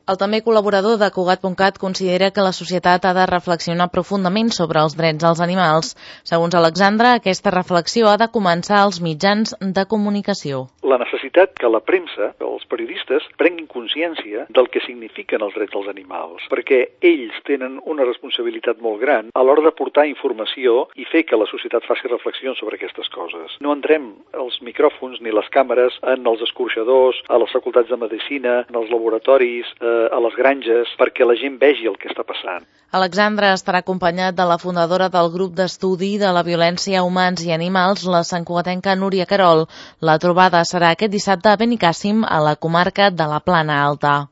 El també col·laborador de Cugat.cat considera que la societat ha de reflexionar profundament sobre els drets dels animals. Segons Alexandre, aquesta reflexió ha de començar als mitjans de comunicació. La necessitat que la premsa, que els periodistes, prenguin consciència del que signifiquen els drets dels animals, perquè ells tenen una responsabilitat molt gran a l'hora de portar informació i fer que la societat faci reflexions sobre aquestes coses. No entrem els micròfons ni les càmeres en els escorxadors, a les facultats de medicina, en els laboratoris, a les granges, perquè la gent vegi el que està passant. Alexandre estarà acompanyat de la fundadora del grup d'estudi de la violència a humans i animals, la santcugatenca Núria Querol. La trobada serà aquest dissabte a Benicàssim, a la comarca de la Plana Alta.